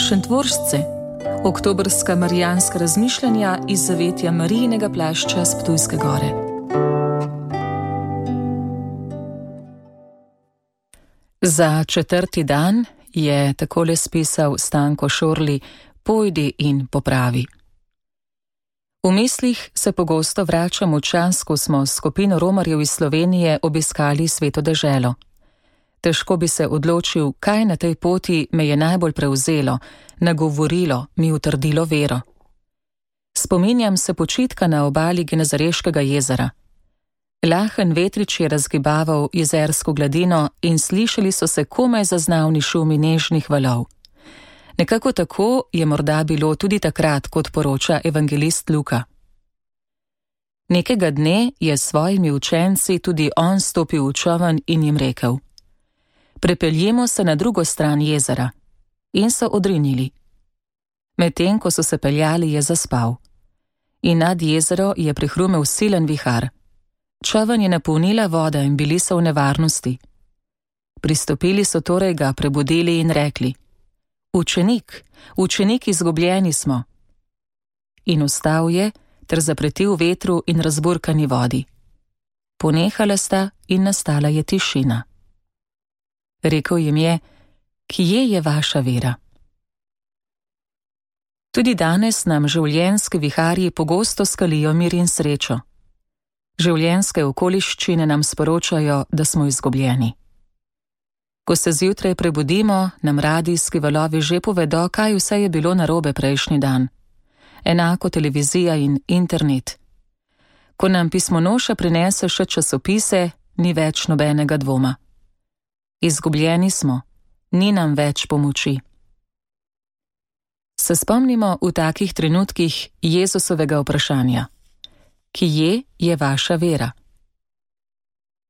Šentvoržce, oktobrska marijanska razmišljanja iz zavetja Marijinega plašča s Ptujske gore. Za 4. dan je takole spisal Stanko Šorli: Pojdi in popravi. V mislih se pogosto vračam v čas, ko smo s skupino romarjev iz Slovenije obiskali Sveto deželo. Težko bi se odločil, kaj na tej poti me je najbolj prevzelo, nagovorilo, mi utrdilo vero. Spominjam se počitka na obali Genezareškega jezera. Lahen vetrič je razgibaval jezersko gladino in slišali so se komaj zaznavni šumi nežnih valov. Nekako tako je morda bilo tudi takrat, kot poroča evangelist Luka. Nekega dne je s svojimi učenci tudi on stopil v čoln in jim rekel: Prepeljimo se na drugo stran jezera. In so odrinili. Medtem, ko so se peljali, je zaspal. In nad jezero je prihrumel silen vihar. Čoln je napolnila voda in bili so v nevarnosti. Pristopili so torej, ga prebudili in rekli: Učenik, izgubljeni smo. In vstal je ter zapretil vetru in razburkani vodi. Ponehala sta in nastala je tišina. Rekel jim je: Kje je vaša vera? Tudi danes nam življenjski viharji pogosto skalijo mir in srečo. Življenjske okoliščine nam sporočajo, da smo izgubljeni. Ko se zjutraj prebudimo, nam radijski valovi že povedo, kaj vse je bilo narobe prejšnji dan. Enako televizija in internet. Ko nam pismonoša prinese še časopise, ni več nobenega dvoma. Izgubljeni smo, ni nam več pomoči. Se spomnimo v takih trenutkih Jezusovega vprašanja: Kje je vaša vera?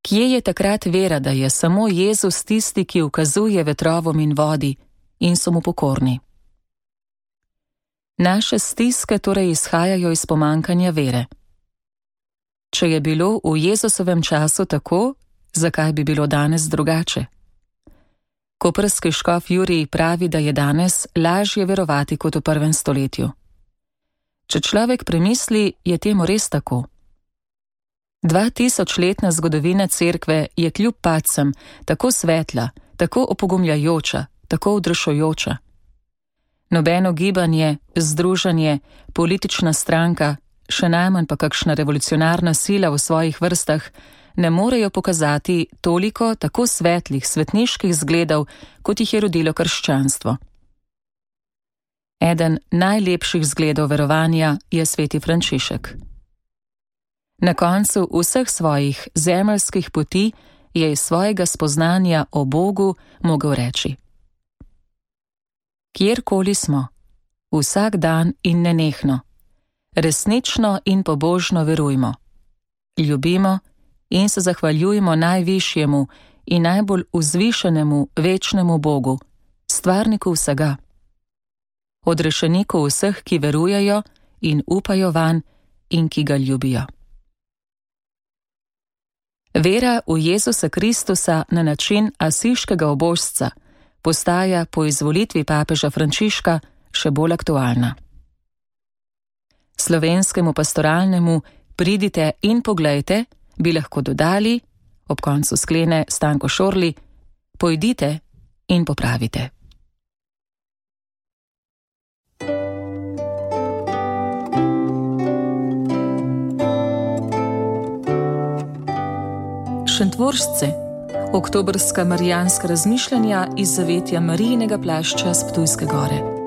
Kje je takrat vera, da je samo Jezus tisti, ki ukazuje vetrovom in vodi in so mu pokorni? Naše stiske torej izhajajo iz pomankanja vere. Če je bilo v Jezusovem času tako, zakaj bi bilo danes drugače? Koprski škof Jurij pravi, da je danes lažje verovati kot v 1. stoletju. Če človek premisli, je temu res tako. 2000-letna zgodovina cerkve je kljub padcem tako svetla, tako opogumljajoča, tako odrešujoča. Nobeno gibanje, združenje, politična stranka, še najmanj pa kakšna revolucionarna sila v svojih vrstah ne morejo pokazati toliko tako svetlih, svetniških zgledov, kot jih je rodilo krščanstvo. Eden najlepših zgledov verovanja je sveti Frančišek. Na koncu vseh svojih zemeljskih poti je iz svojega spoznanja o Bogu mogel reči: Kjerkoli smo, vsak dan in nenehno, resnično in pobožno verujmo, ljubimo in se zahvaljujmo najvišjemu in najbolj vzvišenemu večnemu Bogu, stvarniku vsega, odrešeniku vseh, ki verujejo in upajo vanj in ki ga ljubijo. Vera v Jezusa Kristusa na način asiškega ubožca postaja po izvolitvi papeža Frančiška še bolj aktualna. Slovenskemu pastoralnemu pridite in poglejte bi lahko dodali, ob koncu sklene Stanko Šorli: Pojdite in popravite. Šentvoržce, oktobrska marijanska razmišljanja iz zavetja Marijinega plašča s Ptujske gore.